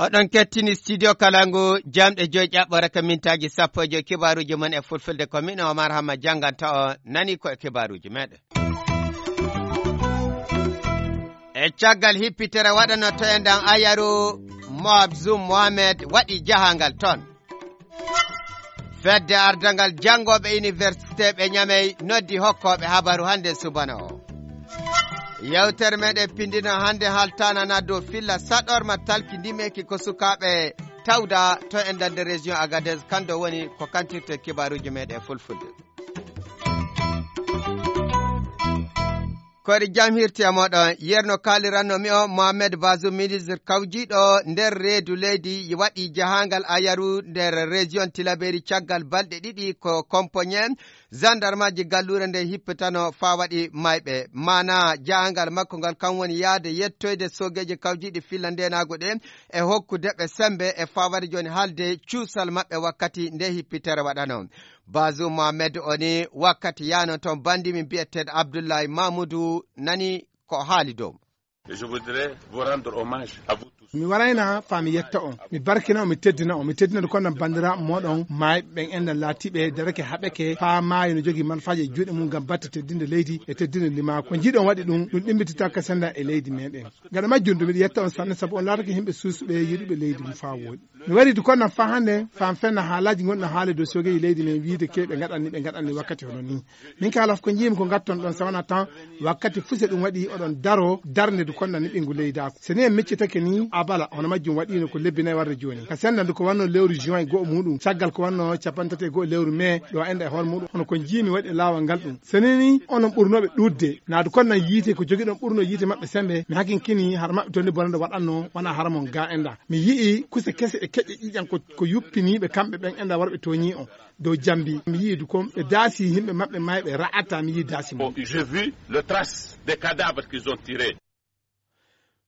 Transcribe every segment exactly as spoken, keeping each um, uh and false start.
Oɗon kettini studio Kalangu, jamɗe joy ƴaɓɓore ka mintaaji sappo e joy, kibaaruuji mon e fulfulde. Ko min Omar Hamma jannganta on, nani ko e kibaaruuji meɗen. E caggal hippitere waɗano to en ɗan ayaru, Moab Zoum Mohamed waɗi jahangal ton. Fedde ardangal janngooɓe université ɓe Ñamey noddi hokkooɓe habaru hannde subana o. Yewtere meɗen pindino hannde haltanana dow filla saɗorma talki ndimeki ko sukaaɓe tawda to e nder région Agadez, kanto woni ko kantirte kibaaruuji meɗen fulfulde. Koɗi jam hirti e moɗon, yerno kaaliranno mi o Mohamed Bazoum, ministre kawjiɗo nder reedu leydi, waɗi jahangal ayaru nder région Tilaberi caggal balɗe ɗiɗi ko kompoñe zandarmaji gallure nde hippitano faa waɗi mayɓe. Mana jahangal makko ngal kan woni yaade yettoyde sogeji kawjiɗi filla ndenago ɗe e hokkude ɓe sembe e faa waɗi joni halde cuusal maɓɓe wakkati nde hippitere waɗano. Bazoum Mohamed oni wakkati yano ton bandi min biyeteɗo Abdoulaye Mamoudou nani ko haali dow. Je voudrais vous rendre hommage à vous tous. Mi warayna faa mi yetta on, mi barkina on, mi teddina on, mi teddina ndu konnan banndiraaɓe mooɗon maayɓe ɓen enɗan laatiiɓe darake haɓeke faa maayi no jogii manfaaji e juuɗe mum ngam batte teddinde leydi e teddinde limaa. Ko njiiɗon waɗi ɗum, ɗum ɗimmititaaka sennda e leydi meɗen. Gaɗa majjum du miɗo yetta on sanne sabu on laatake yimɓe suusuɓe yiɗuɓe leydi mum faa wooɗi. Mi wari du konnan faa hannde faa mi fenna haalaaji gonɗi haale dow sogeeji leydi men wiide ke ɓe ngaɗanni ɓe ngaɗanni wakkati hono nii. Min ka alaf ko njiimi ko ngatton ɗon sawana tan wakkati fuse ɗum waɗi oɗon daro darnde du konnan ni ɓingu leydaaku. So ni en miccitake ni abala hono majjum waɗiino ko lebbi nayi warde jooni. Ka sennda ndu ko wanno lewru juin go'o muɗum caggal ko wanno capanɗe tati e go'o lewru mai ɗo enɗa e hoore muɗum hono ko njiimi waɗi e laawol ngal ɗum. So ni ni onon ɓurnooɓe ɗuuɗde naadu konnan yiite ko jogiɗon ɓurno yiite maɓɓe sembe mi hakinkini har maɓɓe tonni bonande waɗanno wona haramon ga enɗa. Mi yi'i kuse kese e keƴƴe ƴiƴan ko, ko yuppiniiɓe kamɓe ɓen enɗa warɓe tooñii on dow jambi. Mi yi'i du kon ɓe daasi yimɓe maɓɓe mayɓe ra'ata mi yi'i daasi mum. J'ai vu le trace des cadavres qu'ils ont tirés.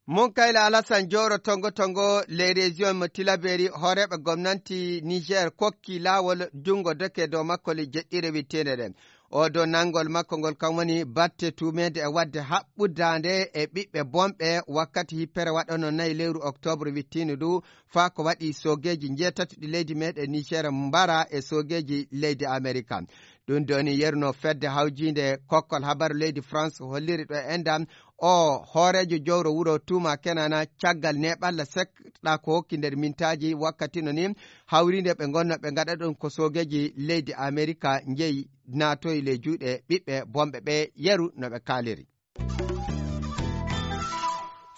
Mon kayla Alassane Jowro tongo tongo les régions mo Tilaberi hooreeɓe gomnanti Niger kokki laawol junngo doke dow makko le jeɗɗire witteende ɗen. Oɗo nanngol makko ngol kam woni batte tuumeede e waɗde haɓɓudaande e ɓiɓɓe bonɓe wakkati hippere waɗano nayi lewru oktoobre wittiino du faa ko waɗi soogeeji njeetati ɗi leydi meɗen Niger mbara e soogeeji leydi Amerika. Ɗum doni yeruno fedde hawjiinde kokkol habaru leydi France holliri ɗo e enɗam o hooreejo jowro wuro Tuuma Kenana caggal neɓalla seɗɗa ko hokki nder mintaaji wakkati no ni hawriinde ɓe ngonno ɓe ngaɗa ɗum ko soogeeji leydi Amerika njeyi naatoyi ley juuɗe ɓiɓɓe bonɓe ɓe yeru no ɓe kaaliri.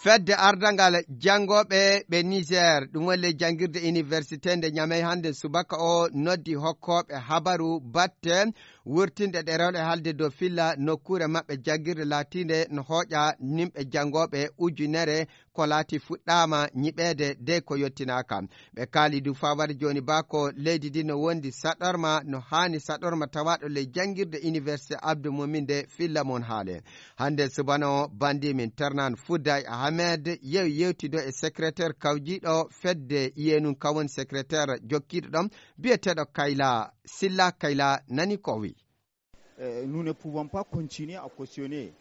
Fedde ardangal janngooɓe ɓe Niger ɗum woni ley janngirde université nde Ñamey hannde subaka o noddi hokkooɓe habaru batte wurtinde ɗerewle haalde dow filla nokkuure maɓɓe janngirde laatiinde no hooƴa nimɓe janngooɓe ujunere ko laati fuɗɗaama ñiɓeede dey ko yottinaaka. Ɓe kaali du faa wari jooni baa ko leydi ndi no wondi saɗorma no haani saɗorma tawaaɗo ley janngirde université Abdou Momin nde filla mon haale. Hannde subana o bandi min Ternan Fouday Ahmed yewi yewtido e secrétaire kawjiiɗo fedde iyenun kawon secrétaire jokkiiɗo ɗon biyeteeɗo Kayla Silla. Kayla nani ko o wi. Eh, nous ne pouvons pas continuer à cautionner.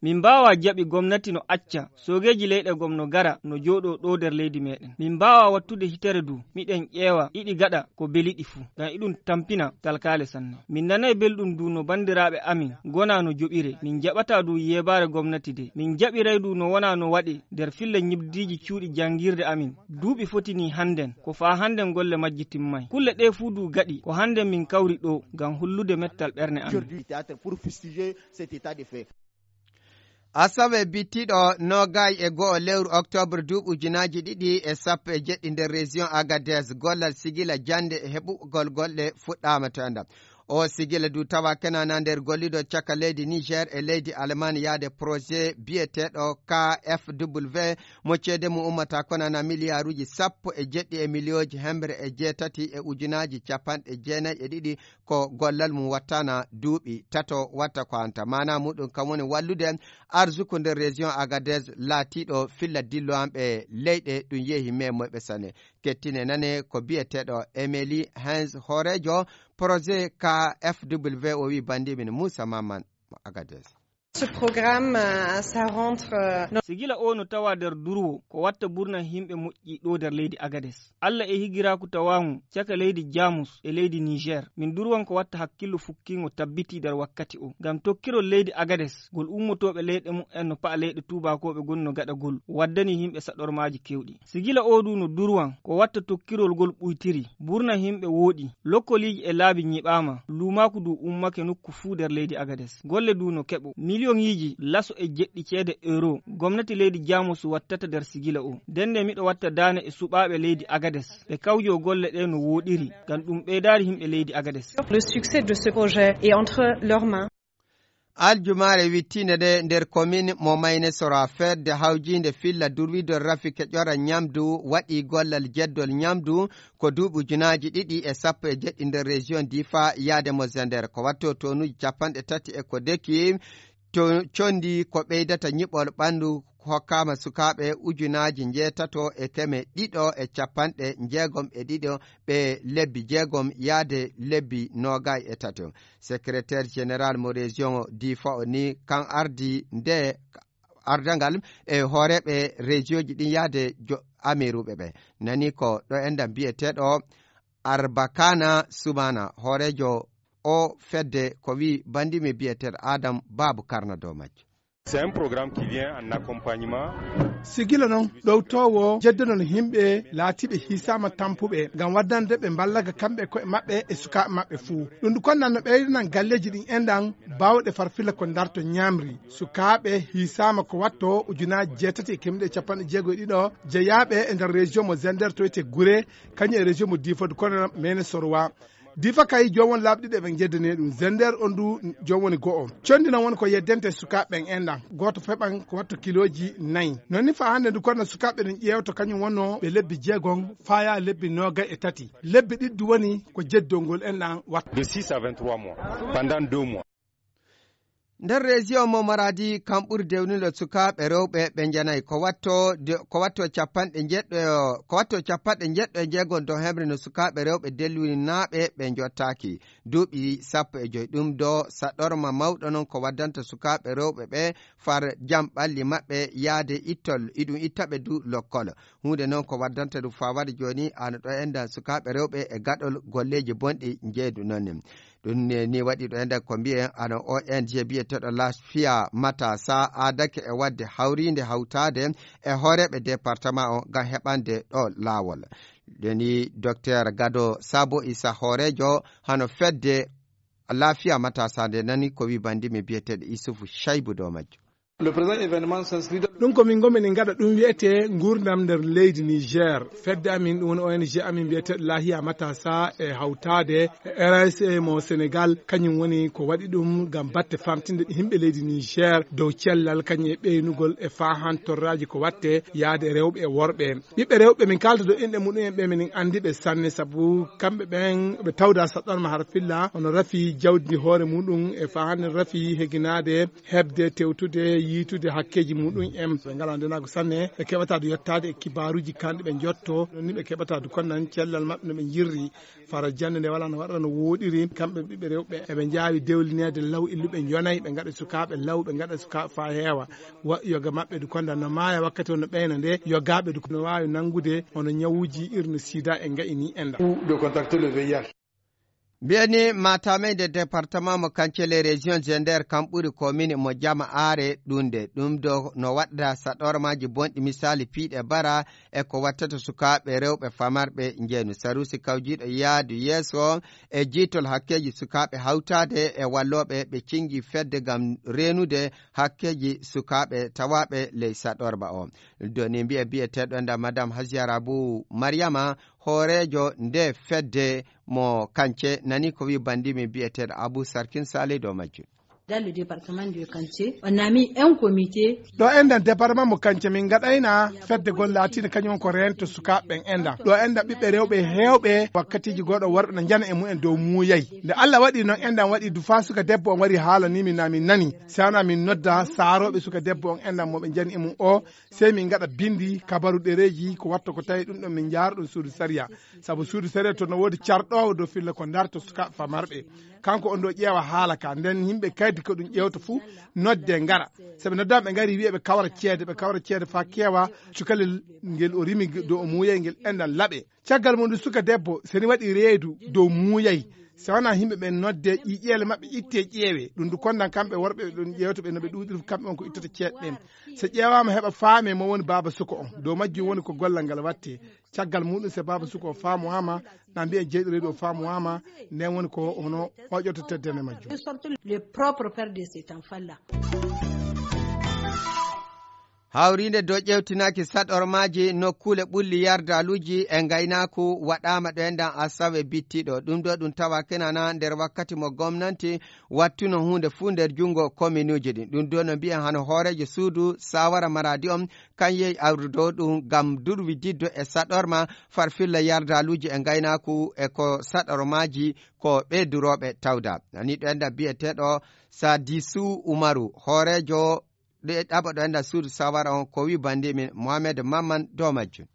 Min mbaawa jaɓi gomnati no acca soogeeji leyɗe gom no gara no jooɗoo ɗoo nder leydi meɗen. Min mbaawa wattude hitere du miɗen ƴeewa ɗiɗi gaɗa ko beli ɗi fuu ngam iɗum tampina talkaale sanne. Min nanay belɗum du no banndiraaɓe amin gona no joɓire. Min jaɓata du yeebaare gomnati de. Min jaɓiray du no wona no waɗe nder filla ñibdiiji cuuɗi janngirde amin. Duuɓi foti ni hannden ko faa hannden golle majji timmay. Kulle ɗee fuu du gaɗi ko hannden min kawri ɗoo ngam hollude mettal ɓerne amin. Asawe bittiɗo noogay e go'o lewru oktoobre duuɓi ujunaaji ɗiɗi e sappo e jeɗɗi nder région Agadez gollal sigila jannde e heɓugol golle fuɗɗaama to enɗam. O sigila du tawa kenana nder gollido caka leydi Niger e leydi Allemagne yaade projet biyeteɗo K F W mo ceede mum ummata konana miliyaruji sappo e jeɗɗi e miliyooji hemre e jeetati e ujunaaji capanɗe jeenayi e ɗiɗi ko gollal mum wattana duuɓi tato watta ko hanta mana muɗum kam woni wallude arsuku nder région Agadez laatiɗo filla dillowanɓe leyɗe ɗum yeehi memoyɓe sane. Kettine nane ko biyeteeɗo Emily Hens, hooreejo projet K F W o wi bandimin Moussa Maman mo Agadez. Ce programme, euh, ça rentre, euh, dans Sigila o no tawa nder durwo ko watta burna himɓe moƴƴi ɗo nder leydi Agades. Alla e higiraaku tawaangu caka leydi Jamus e leydi Niger. Min durwan ko watta hakkillo fukkingo tabbiti nder wakkati o. Ngam tokkirol leydi Agades, gol ummotooɓe leyɗe mu'en no pa'a leyɗe tuubaakooɓe goni no gaɗagol, waddani himɓe saɗormaaji kewɗi. Sigila o du no durwan ko watta tokkirol gol ɓuytiri. Burna himɓe wooɗi. Lokkoliiji e laabi nyiɓaama. Luumaaku du ummake nokku fuu nder leydi Agades. Golle du no keɓo. Miliyoŋiiji laso e jeɗɗi ceede euro gomnati leydi Jamus wattata nder sigila o. Ndenne miɗo watta daane e suɓaaɓe leydi Agades. Ɓe kawjo golle ɗe no wooɗiri. Ngam ɗum ɓeydaari himɓe leydi Agades. Le succès de ce projet est entre leurs mains. Aljumaare wittiinde nde nder komin mo Mayne Sora, fedde hawjiinde filla durwidol rafi keƴora ñamdu waɗi gollal jeddol ñamdu ko duuɓi ujunaaji ɗiɗi e sappo e jeɗɗi nder région Difa yaade mo Zender. Ko watto tonuuji capanɗe tati e ko deki to condi ko ɓeydata ñiɓol ɓandu hokkaama sukaaɓe ujunaaji njeetato e keme ɗiɗo e capanɗe njeegom e ɗiɗo ɓe lebbi jeegom yaade lebbi noogay e tato. Secrétaire général mo région Difa o ni kan ardi nde ardangal e hooreeɓe région ji ɗin yaade jo-, amiruɓe ɓe. Nani ko ɗo enɗan biyeteeɗo Arbakana Sumana, hooreejo o fedde ko wi bandimi biyeteeɗo Adam Babu Karna dow majjo. C'est un programme qui vient en accompagnement. Sigila noon ɗowtoowo jeddonol yimɓe laatiiɓe hiisaama tampuɓe ngam waddande ɓe mballaga kamɓe e koye maɓɓe e sukaaɓe maɓɓe fuu. Ɗum ɗum konnan no ɓeydanan galleeji ɗin enɗan baawɗe farfilla ko darto ñaamri. Sukaaɓe hiisaama ko watto ujunaaji jeetati e kemɗe capanɗe jeego e ɗiɗo jeyaaɓe e nder région mo Zender to wiyetee Gure, kañum e région mo Difa du kono Mene Sorwa. Difa kay joom won laabi ɗiɗi eɓe njeddani ɗum. Zender on du joom woni go'o. Condi noon woni ko yeddente sukaaɓe ɓen enɗan. Gooto feɓan ko watto kilooji nayi. Noon ni faa hannde ndu kono sukaaɓe ɗum ƴeewto kañum wonno ɓe lebbi jeegom faya lebbi noogay e tati. Lebbi ɗiɗi du woni ko jeddol ngol enɗan watta. De six à vingt-trois mois, pendant deux mois. Nder région mo Maradi kam ɓuri dewnude sukaaɓe rewɓe ɓe njanay ko watto de-, ko watto capanɗe njeɗɗo, ko watto capanɗe njeɗɗo e jeegom dow hemre no sukaaɓe rewɓe delluninaaɓe ɓe njottaaki duuɓi sappo e joy. Ɗum do saɗorma mawɗo noon ko waddanta sukaaɓe rewɓe ɓe far jam ɓalli maɓɓe yaade ittol, iɗum ittaɓe du lokkol. Huunde noon ko waddanta ɗum faa waɗi jooni ana ɗo enɗan sukaaɓe rewɓe e gaɗol golleeji bonɗi njeeydu noon ni. Ɗum ne ni waɗi ɗo enɗan ko mbiyen ana O N G biyeteeɗo Lafiya Matasa aadake e waɗde hawriinde hawtaade e hooreeɓe département o ngam heɓande ɗo laawol. Ɗoni Docteur Gado Sabo Issa hooreejo hano fedde Lafiya Matasa nde nani ko wi bandimi biyeteeɗo Isufu Shaibu dow majjo. Le présent événement s'inscrit dans Ɗum ko min ngomi en ngaɗa ɗum wiyetee nguurndam nder leydi Niger. Fedde amin ɗum woni O N G amin mbiyeteeɗo Lahiya Matasa e hawtaade e R S A mo Sénégal, kañum woni ko waɗi ɗum ngam batte famtinde yimɓe leydi Niger dow cellal kañum e ɓeynugol e faahan torraaji ko watte yaade rewɓe e worɓe. Ɓiɓɓe rewɓe min kaalda dow inɗe muɗum en ɓe minen anndi ɓe sanne sabu kamɓe ɓen ɓe tawda saɗɗorma har filla ono rafi jawdi hoore muɗum e faahan rafi heginaade heɓde, tewtude, yiitude hakkeeji muɗum en. Ɓe ngalaa ndenaagu sanne, ɓe keɓataa du yettaade e kibaaruuji kanɗi ɓe njotto, ɗon ni ɓe keɓataa du konnan cellal maɓɓe no ɓe njirri. Fara jannde nde walaa no waɗata no wooɗiri, kamɓe ɓiɓɓe rewɓe, eɓe njaawi dewlineede law illuɓe njonay, ɓe ngaɗa sukaaɓe law, ɓe ngaɗa sukaaɓe faa heewa. Wa-, yoga maɓɓe du konda no maaya wakkati on no ɓeyna nde, yogaaɓe du no waawi nanngude hono ñawuuji irno sida e nga'i ni enɗan. Ou de contacter le V I H. Mbiyani Matamey nde département mo Kancele région Zender kam ɓuri commune mo Jama Are ɗunde. Ɗum ɗo no waɗda saɗormaaji bonɗi misali piiɗe bara e ko wattata sukaaɓe rewɓe famarɓe njeenu. Sarusi kawjiiɗo yaadu yeeso e jiitol hakkeeji sukaaɓe hawtaade e wallooɓe ɓe cingi fedde ngam reenude hakkeeji sukaaɓe tawaaɓe ley saɗorma o. Doni mbiye biyeteeɗo nda Madame Hasiya Rabu Mariama, hooreejo nde fedde mo Kance nani ko wi bandimi biyeteeɗo Abu Sarkin Salido majjum. Dans le département de Kanté, on a mis un comité. Ɗo enɗan département mo Kanté, min ngaɗayna fedde gol laatiinde kañum woni ko reento sukaaɓe ɓen enɗan. Ɗo enɗan ɓiɓɓe rewɓe heewɓe wakkatiiji goɗɗo worɓe na njana e mumen dow muuyay. Nde Allah waɗi noon enɗan waɗi du faa suka debbo on wari haalanii min na min nani. Si wanaa min nodda saarooɓe suka debbo on enɗan mo ɓe njani e mum o, sey min ngaɗa binndi kabaru ɗereeji ko watta ko tawi ɗum ɗon min njaara ɗum suudu sariya. Sabu suudu sariya to no woodi carɗoowo dow filla ko darto sukaaɓe famarɓe. Kanko on ɗo ƴeewa haala ka. Nden yimɓe kaydi ko ɗum ƴeewta fuu nodde ngara. Sabu noddaama ɓe ngari wi'e ɓe kawra ceede, ɓe kawra ceede faa keewa cukalel ngel o rimi dow o muuyay ngel enɗan laɓe. Caggal mum ɗum suka debbo, so ni waɗi reedu dow muuyay, so wanaa yimɓe ɓen nodde ƴiƴeele maɓɓe itte ƴeewe. Ɗum du kondan kamɓe worɓe ɓe ɗum ƴeewta ɓe no ɓe ɗuuɗiri kamɓe on ko ittata ceeɗe ɗen. So ƴeewaama heɓa faame mo woni baaba suka on. Dow majjum woni ko gollal ngal watte. Caggal muɗum so baaba suka o faamowaama, na mbiya jeyɗo reedu o faamowaama, nden woni ko hono hoƴoto teddene majjum. De sorte le propre père de cet enfant-là. Hawriinde dow ƴeewtinaaki saɗormaaji nokkuule ɓulli yardaaluuji e ngaynaaku waɗaama ɗo enɗan asawe bittiɗo. Ɗum ɗo ɗum tawa kenana nder wakkati mo gomnanti wattuno huunde fuu nder junngo kominuuji ɗin. Ɗum ɗo no mbiya hano hooreejo suudu saawara maraadi on, kan yehi awrudo ɗum ngam durwididdo e saɗorma farfilla yardaaluuji e ngaynaaku e ko saɗormaaji ko ɓe durooɓe tawda. Ani ɗo enɗan biyeteeɗo Sadisu Umaru, hooreejo ɗe ɗaɓa ɗo enɗan suudu saawara on, ko wi bandi min Mohamed Mamman dow majjum.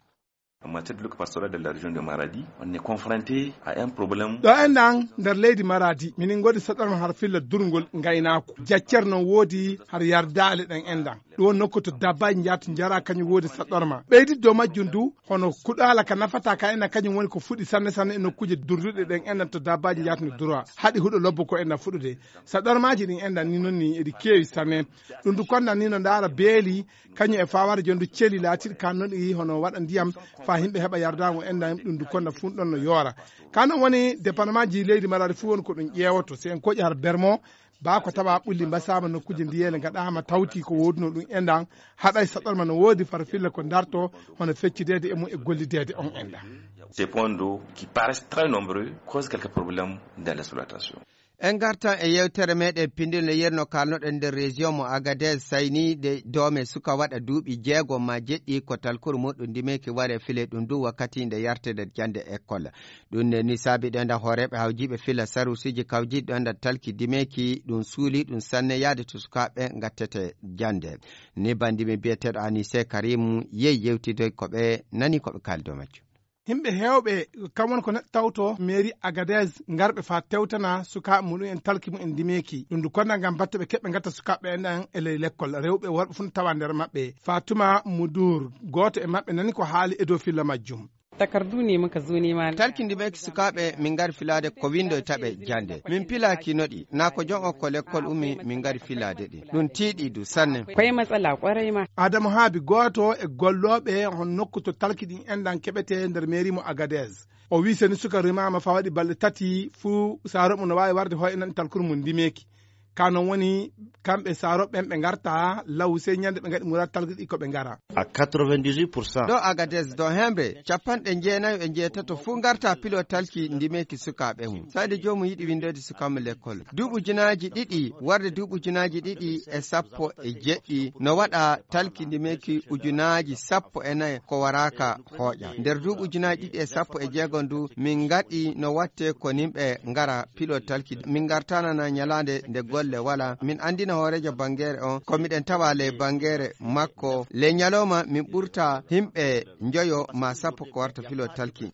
En matière de l'occupateur de la région de Maradi, on est confronté à un problème. Ɗo enɗan nder leydi Maradi, minin ngoodi saɗorma har filla durngol ngaynaaku. Jaccer non woodi har yardaale ɗen enɗan. Ɗum woni nokku to dabbaaji njahata njara kañum woodi saɗorma. Ɓeydit dow majjum du, hono kuɗaala ka nafata ka enɗan kañum woni ko fuɗi sanne sanne e nokkuuje durduɗe ɗen enɗan to dabbaaji njahata no dura. Haɗi huɗo lobbo ko enɗan fuɗude. Saɗormaaji ɗin enɗan ni non ni eɗi keewi sanne. Ɗum du kondan ni no ndaara beeli, kañum e faware jondu celi laatiɗi kan non ɗi hono waɗa ndiyam faa yimɓe heɓa yardaango enɗan ɗum du kondan fuu ɗon no yoora. Kan non woni départementji leydi Maradi fuu woni ko ɗum ƴeewoto. Si en koƴi har Bermo, baa ko tawa ɓulli mbasaama nokkuuje ndiyeele ngaɗaama tawti ko woodunoo ɗum enɗan, haɗay saɗorma no woodi far filla ko darto hono feccideede e mum e gollideede on enɗan. Ces points d'eau qui paraissent très nombreux causent quelques problèmes dans l'exploitation. En ngartan e yewtere meɗen pindinle yerno kalnoɗen nder région mo Agadez sayniide doome suka waɗa duuɓi jeego ma jeɗɗi ko talkuru muɗum ndimeki ware file ɗum du wakkati nde yarte nder jande école. Ɗum ne ni saabi ɗo nda hooreeɓe hawjiiɓe fila sarusiji kawjiiɗi ɗo nda talki ndimeki ɗum suuli ɗum sanne yaade to sukaaɓe ngattete jande. Ni bandimi biyeteeɗo Anise Karim yehi yewtide ko ɓe nani ko ɓe kaali dow majjum. Yimɓe heewɓe kam woni ko neɗɗo tawto mairie Agadez ngarɓe faa tewtana sukaaɓe muɗum en talki mumen ndimeeki. Ɗum ndu konna ngam batte ɓe keɓɓe ngatta sukaaɓe en ɗan e ley lekkol. Rewɓe e worɓe fuu no tawa nder maɓɓe. Fatuma Mudur, gooto e maɓɓe nani ko haali e dow filla majjum. Takardu ne muka zo nema. Talki ndimeeki sukaaɓe min ngari filaade ko windoyta ɓe jande. Min pilaaki noɗi, naa ko jon o ko lekkol ummi min ngari filaade ɗi. Ɗum tiiɗi du sanne. Koye matsala kwarai ma. Adamu Haabi, gooto e gollooɓe hon nokku to talki ɗin enɗan keɓetee nder mairie mo Agadez. O wii seni suka rimaama faa waɗi balɗe tati fuu saaro mum no waawi warde hoy enɗan talkuru mum ndimeeki. Ka non woni kamɓe saaro ɓen ɓe ngarta law sey ñande ɓe ngaɗi muraad talki ɗi ko ɓe ngara. À quatre-vingt-dix-huit pour cent. Ɗo Agadez ɗo hemre capanɗe jeenayo e jeetato fuu ngarta pilo talki ndimeeki sukaaɓe mum. Sayde joomum yiɗi windoyde suka mum lekkol. Duuɓi ujunaaji ɗiɗi, warde duuɓi ujunaaji ɗiɗi e sappo e jeɗɗi, no waɗa talki ndimeeki ujunaaji sappo e nayi ko waraaka hooƴa. Nder duuɓi ujunaaji ɗiɗi e sappo e jeego ndu, min ngaɗi no watte ko nimɓe ngara pilo talki. Min ngartanana ñalaande nde golle wala. Min anndina hooreejo bangeere on ko miɗen tawa ley bangeere makko. Ley ñalawma min ɓurta himɓe njoyo ma sappo ko warta filo talki.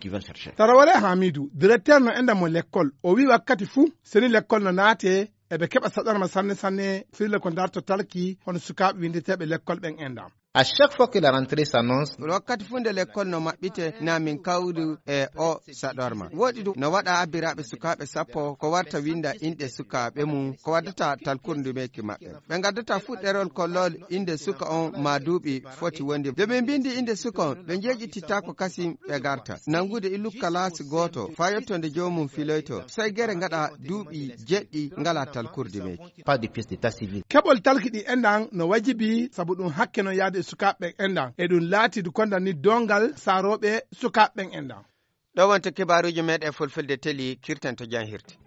Tarawale Hamidu, directeur no enɗan mo lekkol, o wii wakkati fuu seni lekkol no naate, eɓe keɓa saɗarma sanne sanne, fille ko darto talki, hono sukaaɓe winndeteeɓe lekkol ɓen enɗan. À chaque fois que la rentrée s'annonce, wakkati fuu nde lekkol no maɓɓite, na min kawru e o saɗorma. Woɗi ɗum no waɗa abbiraaɓe sukaaɓe sappo ko warta winnda inɗe sukaaɓe mum, ko waddata talkuru ndimeeki maɓɓe. Ɓe ngaddata fuɗɗerol kollol innde suka on ma duuɓi foti wondi. Nde ɓe mbindi innde suka on, ɓe njeeƴitittaako kasin ɓe garta. Nanngude illu kalaasi gooto, faa yotto nde joomum filoyto. Sey gere ngaɗa duuɓi jeɗɗi ngalaa talkuru ndimeeki. Pas de pièce d'état civil. Keɓol talki ɗi enɗan no wajibi, sabu ɗum hakke non yaade e sukaaɓe ɓen enɗan. E ɗum laati du kondan ni doongal saarooɓe sukaaɓe ɓen enɗan. Ɗo wonta kibaaruuji meɗen fulfulde teli, kirten to jam hirti.